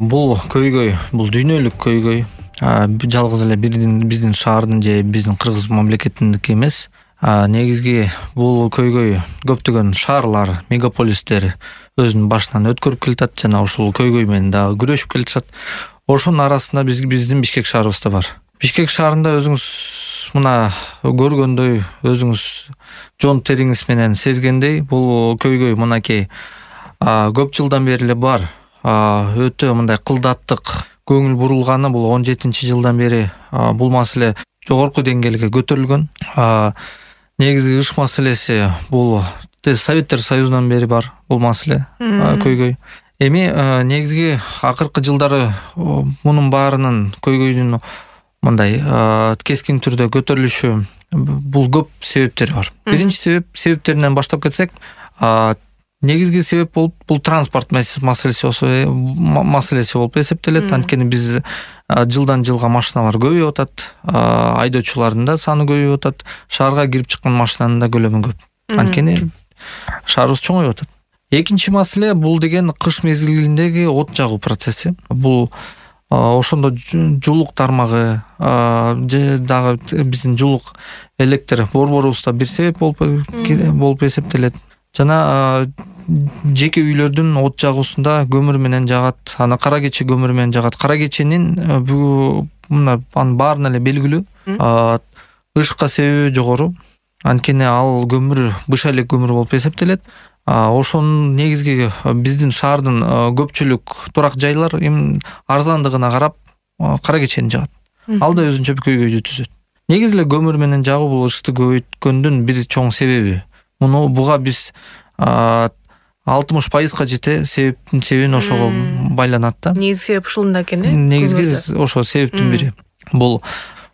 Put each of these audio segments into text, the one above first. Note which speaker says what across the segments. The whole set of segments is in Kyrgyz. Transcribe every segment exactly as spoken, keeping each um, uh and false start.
Speaker 1: Бул көйгөй, бул дүйнөлүк көйгөй. Жалгыз эле биздин шаардын же биздин Кыргыз мамлекетиндики эмес. Негизги бул көйгөй көптөгөн шаарлар, мегаполистер өзүнүн башынан өткөрүп келатат жана ушул көйгөй менен дагы күрөшүп келатышат. Ошонун арасында биз биздин Бишкек шаарыбыз да бар. Бишкек шаарында өзүңүз мына көргөндөй, өзүңүз жон териңиз менен сезгендей, бул көйгөй мынакей көп жылдан бери эле бар. Өтө мындай кылдаттык көңүл бурулганы бул он жетинчи жылдан бери бул маселе жогорку деңгээлге көтөрүлгөн. Негизги ыш маселеси бул Советтер Союзунан бери бар бул маселе, көйгөй. Эми негизги акыркы жылдары мунун баарынын көйгөйдүн мындай кескин түрдө көтөрүлүшү бул көп себептери бар. Биринчи себеп себептеринен баштап кетсек, негизги себеп болуп бул транспорт маселеси маселеси болуп эсептелет. Анткени биз жылдан жылга машиналар көбөйүп атат, айдоочулардын да саны көбөйүп атат, шаарга кирип чыккан машинанын да көлөмү көп. Анткени шаарыбыз чоңоюп атат. Экинчи маселе бул деген кыш мезгилиндеги от жагуу процесси. Бул ошондо жуулук тармагы же дагы биздин жуулук электр борборубузда бир себеп болуп болуп эсептелет. Жана жеке үйлөрдүн от жагуусунда көмүр менен жагат, аны кара кече көмүр менен жагат. Кара кеченин мына анын баарына эле белгилүү ышыкка себеби жогору. Анткени ал көмүр быша элек көмүр болуп эсептелет. Ошонун негизги биздин шаардын көпчүлүк турак жайлар эми арзандыгына карап кара кечени жагат. Ал да өзүнчө көйгөйдү түзөт. Негизи эле көмүр менен жагуу бул ышыкты көбөйткөндүн бир чоң себеби. Муну буга биз алтымыш пайызга жете себептин себебин ошого байланат да.
Speaker 2: Негизги себеп ушунда экен э?
Speaker 1: Негизги ошо себептин бири. Бул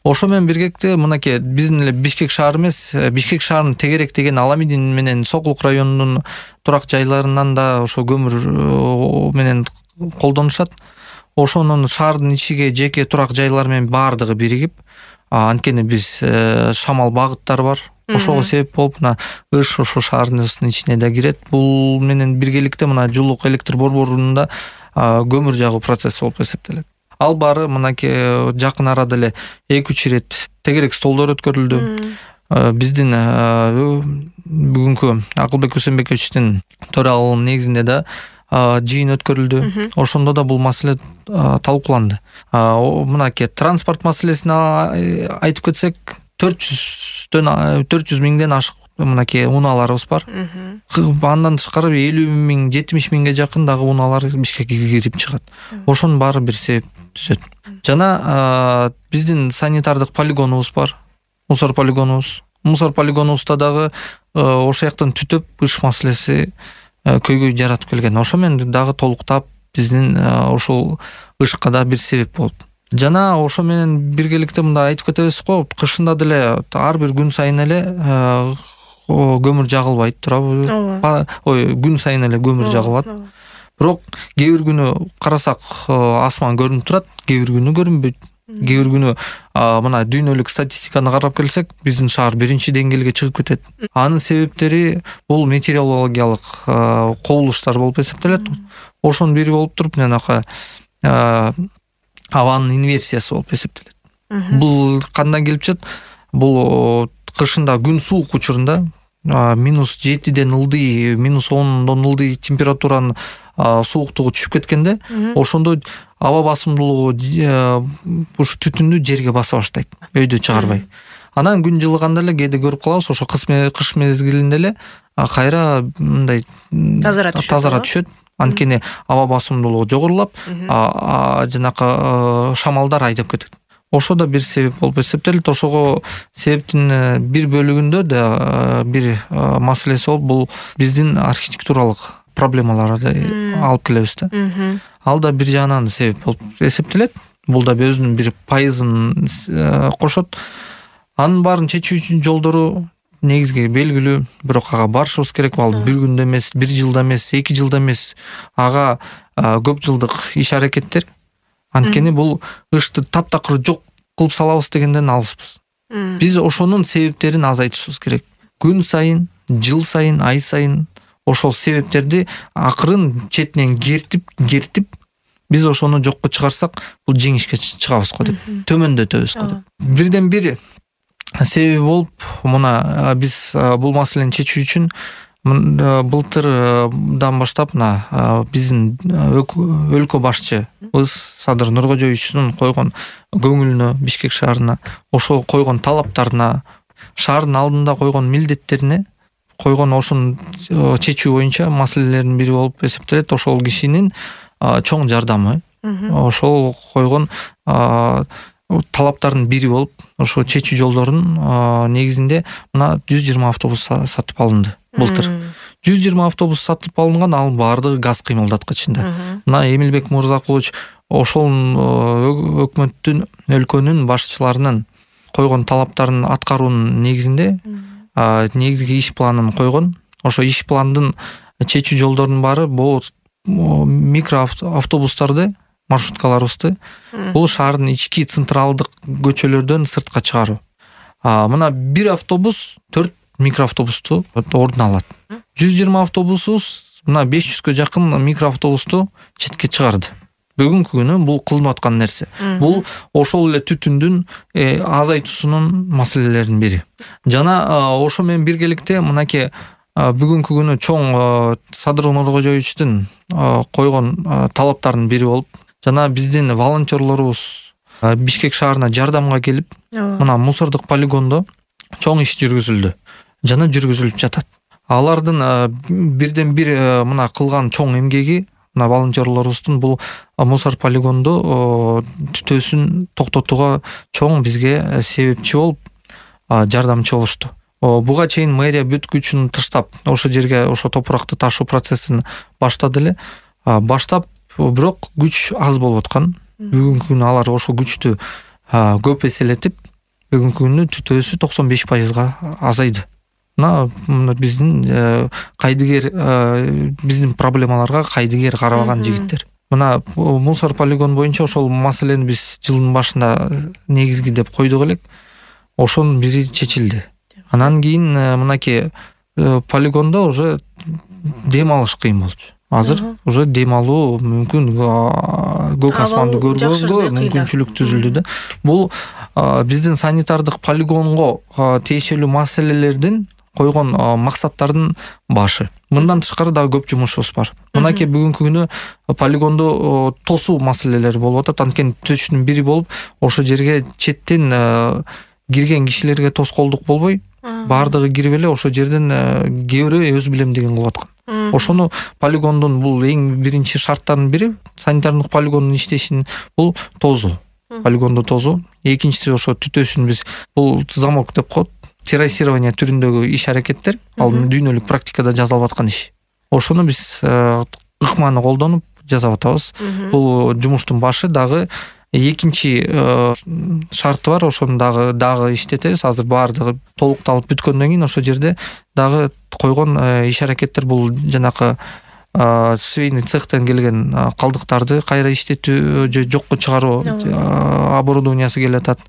Speaker 1: ошо менен биргекте мынакей биздин эле Бишкек шаары эмес, Бишкек шаарынын тегерек деген Аламидин менен Сокулук районунун турак жайларынан да ошо көмүр менен колдонушат. Ошонун шаардын ичиге жеке турак жайлар менен баардыгы биригип, анткени биз шамал багыттары бар. Ошого себеп болуп, мына ыш ошо шаардын ичине да кирет. Бул менен биргеликте мына жуулук электр борборунда көмүр жагуу процесси болуп эсептелет. Ал баары мынакей жакын арада эле эки үч ирет тегерек столдор өткөрүлдү. Биздин бүгүнкү Акылбек Усенбековичтин төрагалыгынын негизинде да жыйын өткөрүлдү. Ошондо да бул маселе талкууланды. Мынакей транспорт маселесин айтып кетсек, төрт жүз миңден ашык мынакей унааларыбыз бар. Андан тышкары элүү миң, жетимиш миңге жакын дагы унаалар Бишкекке кирип чыгат. Ошонун баары бир себеп түзөт. Жана биздин санитардык полигонубуз бар. Мусор полигонубуз. Мусор полигонубузда дагы ошол жактан түтөп ыш маселеси көйгөй жаратып келген. Ошо менен дагы толуктап биздин ошол ышыкка да бир себеп болот. Жана ошо менен биргеликте мындай айтып кетебиз го, кышында деле ар бир күн сайын эле көмүр жагылбайт турабы? Ой, күн сайын эле көмүр жагылат. Бирок кээ бир күнү карасак асман көрүнүп турат, кээ бир күнү көрүнбөйт. Кээ бир күнү мына дүйнөлүк статистиканы карап келсек, биздин шаар биринчи деңгээлге чыгып кетет. Анын себептери бул метеорологиялык кобулуштар болуп эсептелет. Ошонун бири болуп туруп, жанакы абанын инверсиясы болуп эсептелет. Бул кандан келип чыгат? Бул кышында күн суук учурунда минус жетиден ылдый, минус ондон ылдый температуранын сууктугу түшүп кеткенде, ошондо аба басымдуулугу ушу түтүндү жерге баса баштайт, өйдө чыгарбай. Анан күн жылыганда эле кээде көрүп калабыз, ошо кыш мезгилинде эле кайра мындай тазара түшөт. Анткени аба басымдуулугу жогорулап, жанакы шамалдар айдап кетет. Ошо да бир себеп болуп эсептелет. Ошого себептин бир бөлүгүндө да бир маселеси болуп, бул биздин архитектуралык проблемаларды алып келебиз да. Ал да бир жагынан себеп болуп эсептелет. Бул да өзүнүн бир пайызын кошот. Анын баарын чечүү үчүн жолдору негизги белгилүү, бирок ага барышыбыз керек. Ал бир күндө эмес, бир жылда эмес, эки жылда эмес. Ага көп жылдык иш аракеттер. Анткени бул ышты таптакыр жок кылып салабыз дегенден алыспыз. Биз ошонун себептерин азайтышыбыз керек. Күн сайын, жыл сайын, ай сайын ошол себептерди акырын четинен кертип, кертип биз ошону жокко чыгарсак бул жеңишке чыгабыз го деп, төмөндөтөбүз го деп. Бирден бир себеби болуп, мына биз бул маселени чечүү үчүн былтырдан баштап мына биздин өлкө башчыбыз Садыр Нуркожоевичтин койгон көңүлүнө, Бишкек шаарына, ошол койгон талаптарына, шаардын алдында койгон милдеттерине, койгон ошонун чечүү боюнча маселелердин бири болуп эсептелет. Ошол кишинин чоң жардамы, ошол койгон талаптардын бири болуп, ошо чечүү жолдорун негизинде мына жүз жыйырма автобус сатып алынды былтыр. жүз жыйырма автобус сатып алынган, ал баардыгы газ кыймылдаткычында. Мына Эмилбек Мырзакулович ошол өкмөттүн, өлкөнүн башчыларынын койгон талаптарын аткаруунун негизинде негизги иш планын койгон. Ошо иш пландын чечүү жолдорунун баары бул микро автобустарды, маршруткаларыбызды бул шаардын ички централдык көчөлөрдөн сыртка чыгаруу. Мына бир автобус төрт микроавтобусту ордун алат. жүз жыйырма автобусубуз мына беш жүзгө жакын микроавтобусту четке чыгарды. Бүгүнкү күнү бул кылынып аткан нерсе. Бул ошол эле түтүндүн азайтуусунун маселелеринин бири. Жана ошо менен биргеликте мынакей бүгүнкү күнү чоң Садыр Нуркожоевичтин койгон талаптарынын бири болуп, жана биздин волонтерлорубуз Бишкек шаарына жардамга келип, мына мусордук полигондо чоң иш жүргүзүлдү жана жүргүзүлүп жатат. Алардын бирден бир мына кылган чоң эмгеги, мына волонтерлорубуздун бул мусор полигондо түтөөсүн токтотууга чоң бизге себепчи болуп, жардамчы болушту. Буга чейин мэрия бүт күчүн таштап, ошол жерге ошо топуракты ташуу процессин баштады эле. Баштап, бирок күч аз болуп аткан. Бүгүнкү күнү алар ошол күчтү көп эселетип, бүгүнкү күнү түтөөсү токсон беш пайызга азайды. Мына биздин кайдыгер, биздин проблемаларга кайдыгер карабаган жигиттер. Мына мусор полигон боюнча ошол маселени биз жылдын башында негизги деп койдук элек. Ошонун бири чечилди. Анан кийин мынакей полигондо уже дем алыш кыйын болчу. Азыр уже дем алуу мүмкүн, көк асманды көргөнгө мүмкүнчүлүк түзүлдү да. Бул биздин санитардык полигонго тиешелүү маселелердин койгон максаттардын башы. Мындан тышкары дагы көп жумушубуз бар. Мынакей бүгүнкү күнү полигондо тосуу маселелери болуп атат. Анткени төштүн бири болуп, ошо жерге четтен кирген кишилерге тоскоолдук болбой, баардыгы кирип эле ошо жерден кээ бирөө өз билемдигин кылып аткан. Ошону полигондун бул эң биринчи шарттарынын бири, санитардык полигондун иштешин бул тозуу. Полигондо тозуу. Экинчиси ошо түтөөсүн биз бул замок деп коет, террасирование түрүндөгү иш-аракеттер, ал дүйнөлүк практикада жазылып аткан иш. Ошону биз ыкманы колдонуп жасап атабыз. Бул жумуштун башы. Дагы экинчи шарты бар, ошону дагы дагы иштетебиз. Азыр баардыгы толукталып бүткөндөн кийин ошо жерде дагы койгон иш-аракеттер бул жанакы швейный цехтен келген калдыктарды кайра иштетүү же жокко чыгаруу оборудованиясы келатат,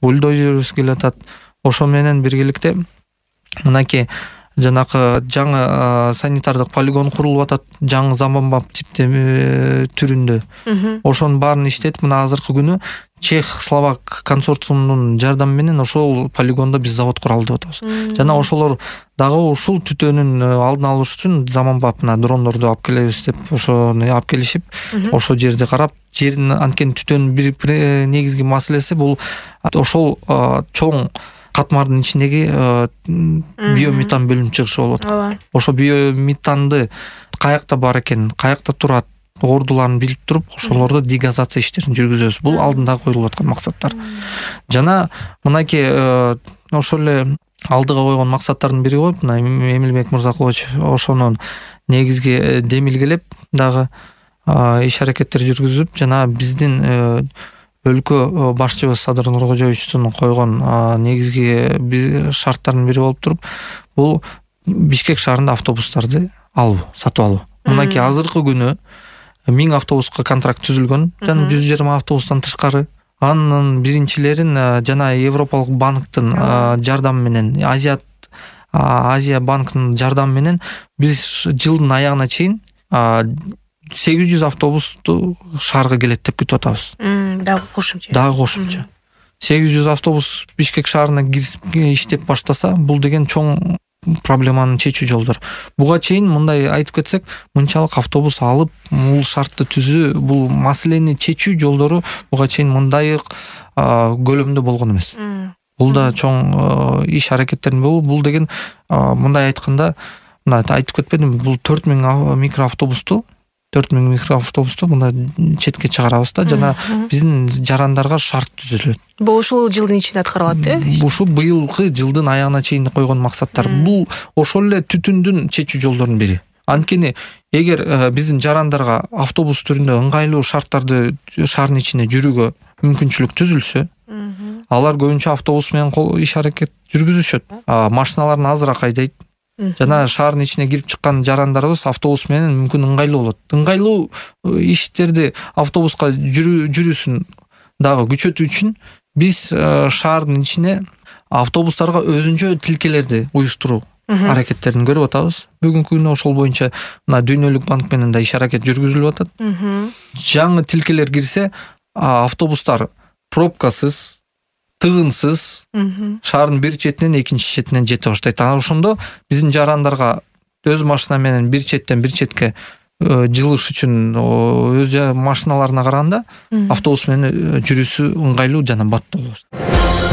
Speaker 1: бульдозерибиз келатат. Ошо менен биргеликте мынакей жанакы жаңы санитардык полигон курулуп атат, жаңы заманбап типте түрүндө. Ошонун баарын иштетип, мына азыркы күнү Чех-Словак консорциумунун жардамы менен ошол полигондо биз завод куралы деп атабыз. Жана ошолор дагы ушул түтөөнүн алдын алыш үчүн заманбап дрондорду алып келебиз деп ошону алып келишип, ошол жерди карап, жердин анткени түтөөнүн бир негизги маселеси бул ошол чоң катмардын ичиндеги биометан бөлүнүп чыгышы болуп аткан. Ошо биометанды каякта бар экен, каякта турат, ордуларын билип туруп, ошолорду дегазация иштерин жүргүзөбүз. Бул алдында коюлуп аткан максаттар. Жана мынакей ошол эле алдыга койгон максаттардын бири коюп, мына Эмилбек Мырзакулович ошонун негизги демилгелеп дагы иш-аракеттер жүргүзүп, жана биздин өлкө башчыбыз Садыр Нуркожоевичтин койгон негизги шарттардын бири болуп туруп, бул Бишкек шаарында автобустарды алуу, сатып алуу. Мынакей азыркы күнү миң автобуска контракт түзүлгөн, жана жүз жыйырма автобустан тышкары. Анын биринчилерин жана Европалык банктын жардамы менен, Азия Азия банкынын жардамы менен биз жылдын аягына чейин сегиз жүз автобусту шаарга келет деп күтүп атабыз.
Speaker 2: Дагы кошумча.
Speaker 1: Дагы кошумча. сегиз жүз автобус Бишкек шаарына кирип иштеп баштаса, бул деген чоң проблеманы чечүү жолдор. Буга чейин мындай айтып кетсек, мынчалык автобус алып, бул шартты түзүү, бул маселени чечүү жолдору буга чейин мындай көлөмдө болгон эмес. Бул да чоң иш аракеттердин болуп, бул деген мындай айтканда, мына айтып кетпедимби, бул төрт миң микроавтобусту төрт миң микроавтобусту мында четке чыгарабыз да, жана биздин жарандарга шарт түзүлөт.
Speaker 2: Бул ушул жылдын ичинде аткарылат, э?
Speaker 1: Ушу быйылкы жылдын аягына чейин койгон максаттар. Бул ошол эле түтүндүн чечүү жолдорунун бири. Анткени эгер биздин жарандарга автобус түрүндө ыңгайлуу шарттарды шаардын ичинде жүрүүгө мүмкүнчүлүк түзүлсө, алар көбүнчө автобус менен иш аракет жүргүзүшөт. Машиналарын азыраак айдайт. Жана шаардын ичине кирип чыккан жарандарыбыз автобус менен мүмкүн ыңгайлуу болот. Ыңгайлуу иштерди автобуска жүрүүсүн дагы күчөтүү үчүн биз шаардын ичине автобустарга өзүнчө тилкелерди уюштуруу аракеттерин көрүп атабыз. Бүгүнкү күндө ошол боюнча мына Дүйнөлүк банк менен да иш аракет жүргүзүлүп атат. Жаңы тилкелер кирсе, автобустар пробкасыз, тыгынсыз шаардын бир четинен экинчи четине жете баштайт. Анан ошондо биздин жарандарга өз машина менен бир четтен бир четке жылыш үчүн өз машиналарына караганда автобус менен жүрүүсү ыңгайлуу жана баттуу болот.